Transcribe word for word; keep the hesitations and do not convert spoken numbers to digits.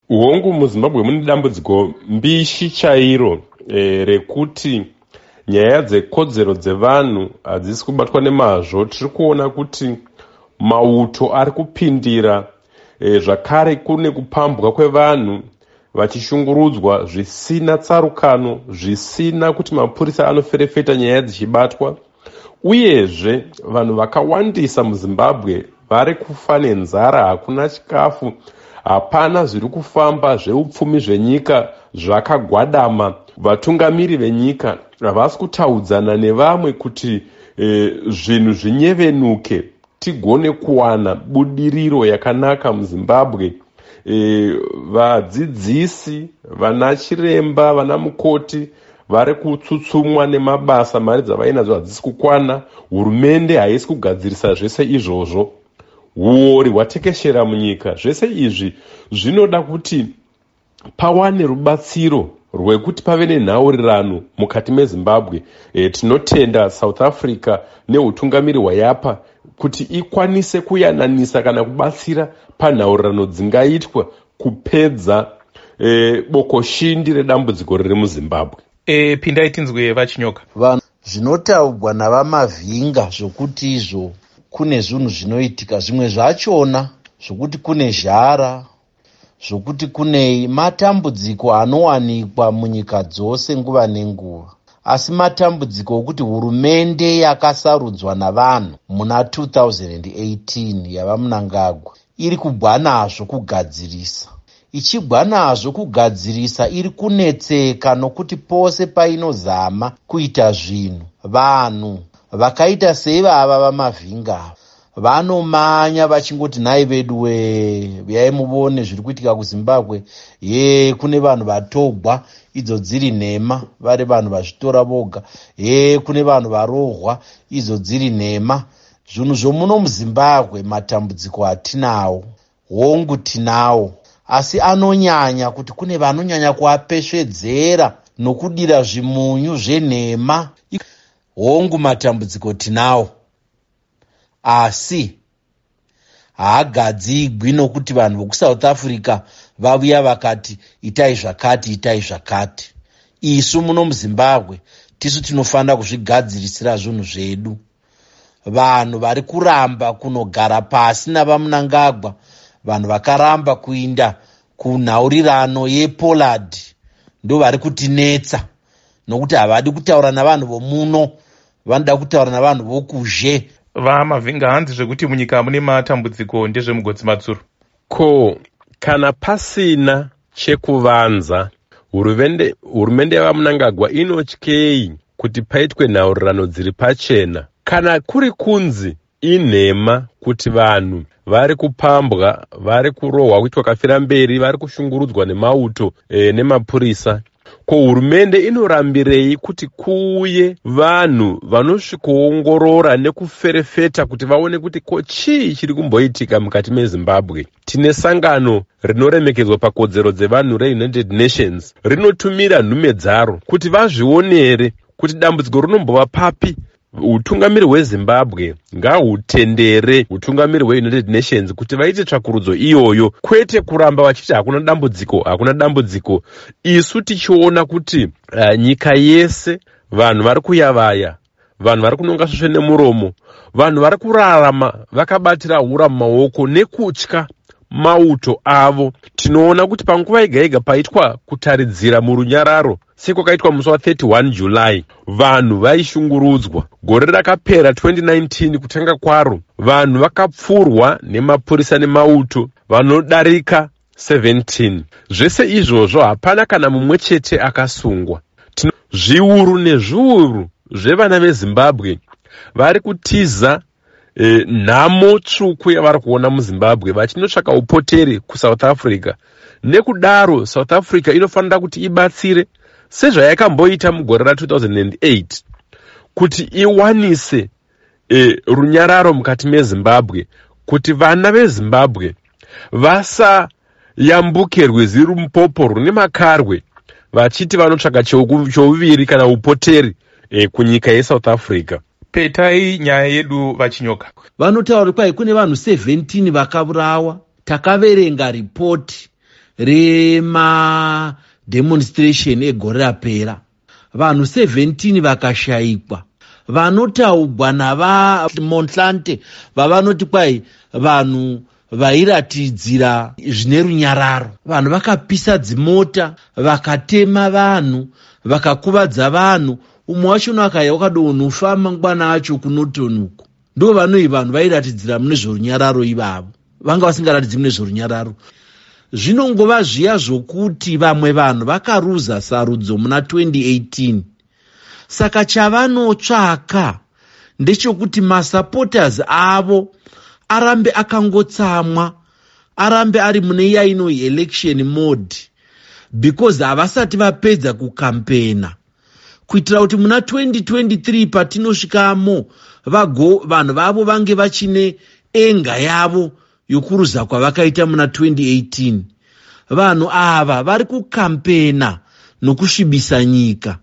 Hongu, muZimbabwe mune dambudziko mbishi chairo e, rekuti nyaya dzekodzero dzevanhu hadzisi kubatwa nemazvo. Tiri kuona kuti mauto ari kupindira, e, zvakare kune kupambwa kwevanhu vachishungurudzwa zvisina tsarukano, zvisina kuti mapurisa anoferefeta nyaya dzichibatwa. Uyezve vanhu vakawandisa muZimbabwe vari kufa nenzara, hakuna chikafu, hapana zviri kufamba, zveupfumi zvenyika zvakagwadama. Vatungamiri venyika havasi kutaudzana nevamwe kuti e, zvinhu zvinyevenuke, tigone kuwana budiriro yakanaka muZimbabwe. e, vadzidzisi vana chiremba, vana mukoti vari kutsutsumwa nemabasa, mari dzavainadzo hadzisi kukwana, hurumende haisi kugadzirisa zvese izvozvo, huori hwatekeshera munyika. Zvese izvi zvinoda kuti pawane rubatsiro rwekuti pave nenhaurirano mukati meZimbabwe. e, tinotenda South Africa neutungamiri hwayapa kuti ikwanise kuyananisa kana kubatsira panhaurirano dzingaitwa kupedza e, bokoshindi redambudziko riri muZimbabwe. e, pindai tinzwe VaChinyoka. Vanhu, zvinotaurwa naVaMavhinga zvokuti izvo kune zvinhu zvinoitika, zvimwe zvachona zvokuti kune zhara, zvokuti kunei, matambudziko anowanikwa munyika dzose nguva nenguva. Asi matambudziko okuti hurumende yakasarudzwa navanhu muna two thousand eighteen yavaMunangagwa iri kugwa nazvo kugadzirisa, ichigwa nazvo kugadzirisa, iri kunetseka nokuti pose painozama kuita zvinhu, vanhu vakaita seivava vaMavhinga vanomanya vachingoti, "Nhai vedu we, uyai muvone zviri kuitika kuZimbabwe. Ye, kune vanhu vatogwa," idzo dziri nhema, vari vanhu vazvitora voga. "Ye, kune vanhu varohwa," idzo dziri nhema. Zvinhu zvomuno muZimbabwe, matambudziko atinawo, hongu tinawo, asi anonyanya kuti kune vanonyanya kuapesvedzera nokudira zvimunyu zvenhema. Hongu, matambudziko tinawo, asi haagadzigwi nokuti vanhu vokuSouth Africa vavuya vakati itai zvakati, itai zvakati. Isu muno muZimbabwe tisu tinofanira kuzvigadzirisira zvinhu zvedu. Vanhu vari kuramba kunogara pasi navaMunangagwa, vanhu vakaramba kuinda kunhaurirano yePolad, ndo vari kutinetsa, nokuti havadi kutaura navanhu vomuno, vanoda kutaura navanhu vokuzhe. VaMavhinga, hanzi zvekuti munyika mune matambudziko ndezvemugotsi matsuro. Ko kana pasina chekuvanza, hurumende yavaMunangagwa inotyei kuti paitwe nhaurirano dziri pachena? Kana kuri kunzi inhema kuti vanhu vari kupambwa, vari kurohwa, kuitwa kafira mberi, vari kushungurudzwa nemauto e, nemapurisa, ko hurumende inorambirei kuti kuuye vanhu vanosvikoongorora nekuferefeta kuti vaone kuti ko chii chiri kumboitika mukati meZimbabwe? Tine sangano rinoremekedzwa pakodzero dzevanhu reUnited Nations, rinotumira nhume dzaro kuti vazvionere kuti dambudziko rinombova papi. Utungamiri hweZimbabwe ngahutendere utungamiri hweUnited Nations kuti vaite tsvakurudzo iyoyo, kwete kuramba vachiti hakuna dambudziko, hakuna dambudziko, isu tichiona kuti uh, nyika yese vanhu vari kuyavaya, vanhu vari kunonga svosve nemuromo, vanhu vari kurarama vakabatira hura mumaoko nekutya mauto avo. Tinoona kuti panguva yega yega paitwa kutaridzira murunyararo, sekwakaitwa musi wathirty-one July, vanhu vaishungurudzwa. Gore rakapera twenty nineteen, kutanga kwaro, vanhu vakapfurwa nemapurisa nemauto vanodarika seventeen. Zvese izvozvo hapana kana mumwe chete akasungwa. Zviuru nezviuru zvevana veZimbabwe vari kutiza e, nhamo tsvuku yavari kuona muZimbabwe vachinotsvaka upoteri kuSouth Africa. Nekudaro South Africa inofanira kuti ibatsire sezvayakamboita mugore ratwo thousand eight kuti iwanise e, runyararo mukati meZimbabwe, kuti vana veZimbabwe vasayambuke rwizi Rumpopo rune makarwe vachiti vanotsvaka chouviri kana upoteri e, kunyika yeSouth Africa. Petai nyaya yedu, VaChinyoka. Vanotaura kuti kwai kune vanhu seventeen vakaurawa. Takaverenga ripoti. Remademonstration egore rapera, vanhu gumi navasere vakashayikwa. Vanotaugwa navaMontlante vavanoti kwai vanhu vairatidzira zvine runyararo, vanhu vakapisa dzimota, vakatema vanhu, vakakuvadza vanhu. Umwe wachona akaya wakadonofa mangwana acho kuNorton uko. Ndo vanoi vanhu vairatidzira mune zvorunyararo ivavo, vanga vasingaratidzi mune zvorunyararo. Zvinongova zviya zvokuti vamwe vanhu vakaruza sarudzo muna twenty eighteen, saka chavanotsvaka ndechekuti masupporters avo arambe akangotsamwa, arambe ari mune iya inoi election mode, because havasati vapedza kukampena, kuitira kuti muna twenty twenty-three patinosvikamo vago vanhu vavo vange vachine anger yavo yokuruza kwavakaita muna twenty eighteen. Vanhu ava vari kukampena nokusvibisa nyika.